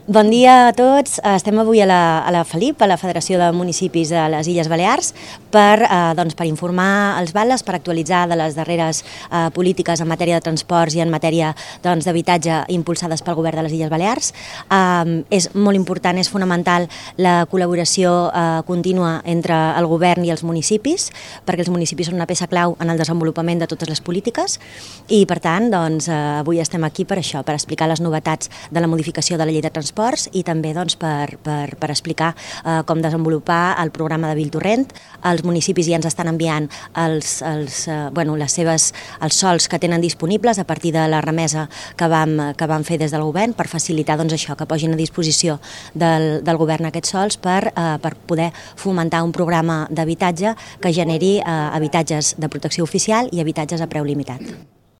Bon dia a tots. Estem avui a la FELIP, a la Federació de Municipis de les Illes Balears, per informar els bales, per actualitzar de les darreres polítiques en matèria de transports i en matèria d'habitatge impulsades pel Govern de les Illes Balears. És molt important, és fonamental la col·laboració contínua entre el Govern i els municipis, perquè els municipis són una peça clau en el desenvolupament de totes les polítiques i, per tant, avui estem aquí per això, per explicar les novetats de la modificació de la Llei de Transports i també per explicar com desenvolupar el programa de Viltorrent. Els municipis ja ens estan enviant els sols que tenen disponibles a partir de la remesa que vam fer des del govern per facilitar això, que posin a disposició del govern aquests sols per poder fomentar un programa d'habitatge que generi habitatges de protecció oficial i habitatges a preu limitat.